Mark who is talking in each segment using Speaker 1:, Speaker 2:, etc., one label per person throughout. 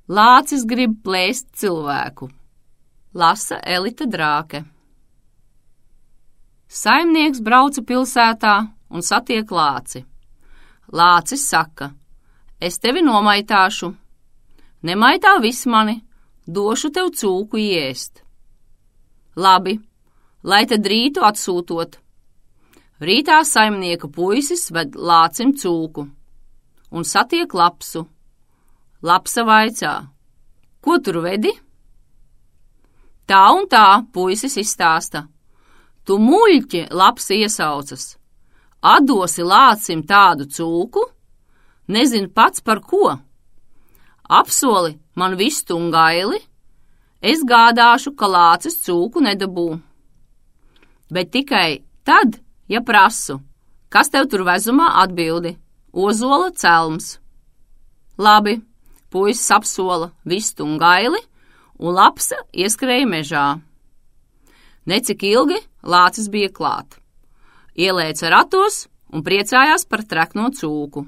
Speaker 1: Lācis grib plēst cilvēku. Lasa Elita Drāke. Saimnieks brauca pilsētā un satiek lāci. Lācis saka: es tevi nomaitāšu. Nemaitā viss mani, došu tev cūku ēst. Labi, lai tad rītu atsūtot. Rītā saimnieka puisis ved lācim cūku un satiek lapsu. Lapsa vaicā: ko tur vedi? Tā un tā, puisis izstāsta. Tu muļķi, lapsa iesaucas. Atdosi lācim tādu cūku? Nezinu pats par ko. Apsoli man vistu un gaili, es gādāšu, ka lācis cūku nedabū. Bet tikai tad, ja prasu, kas tev tur vezumā, atbildi: ozola celms. Labi, puisis apsola vistu un gaili, un lapsa ieskrēja mežā. Necik ilgi lācis bija klāt. Ielēca ratos un priecājās par trekno cūku.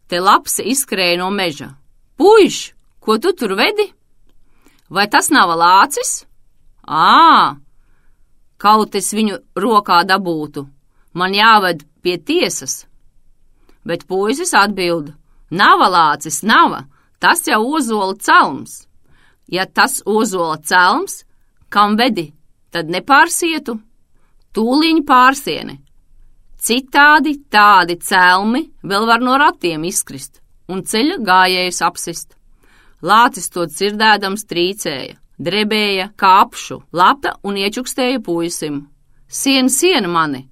Speaker 1: Te lapsa izskrēja no meža. Puiš, ko tu tur vedi? Vai tas nav lācis? Kaut es viņu rokā dabūtu, man jāved pie tiesas. Bet puisis atbild: nav lācis, nav, tas jau ozola celms. Ja tas ozola celms, kam vedi, tad nepārsietu, tūliņ pārsieni. Citādi tādi celmi vēl var no ratiem izkrist un ceļa gājējus apsist. Lācis to dzirdēdams trīcēja, drebēja kā apšu, lapa un iečukstēja puisim: sien mani,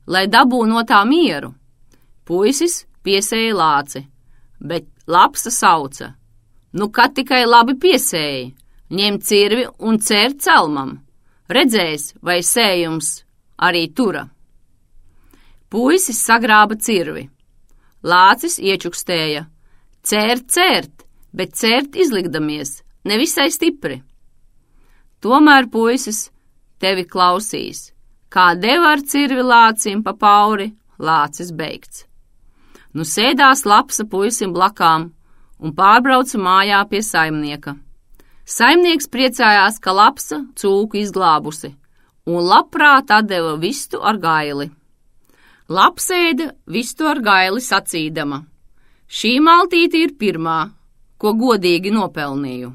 Speaker 1: lai dabū no tā mieru. Puisis piesēja lāci, bet lapsa sauca: nu, kad tikai labi piesēji, ņem cirvi un cēr celmam, redzēs, vai sējums arī tura. Puisis sagrāba cirvi. Lācis iečukstēja: cērt, bet cērt izlikdamies, nevisai stipri. Tomēr puisis tevi klausīs, kā deva ar cirvi lācim pa pauri, lācis beigts. Nu sēdās lapsa puisim blakām un pārbrauca mājā pie saimnieka. Saimnieks priecājās, ka lapsa cūku izglābusi, un labprāt atdeva vistu ar gaili. Lapsa ēda vistu ar gaili sacīdama: šī maltīte ir pirmā, ko godīgi nopelnīju.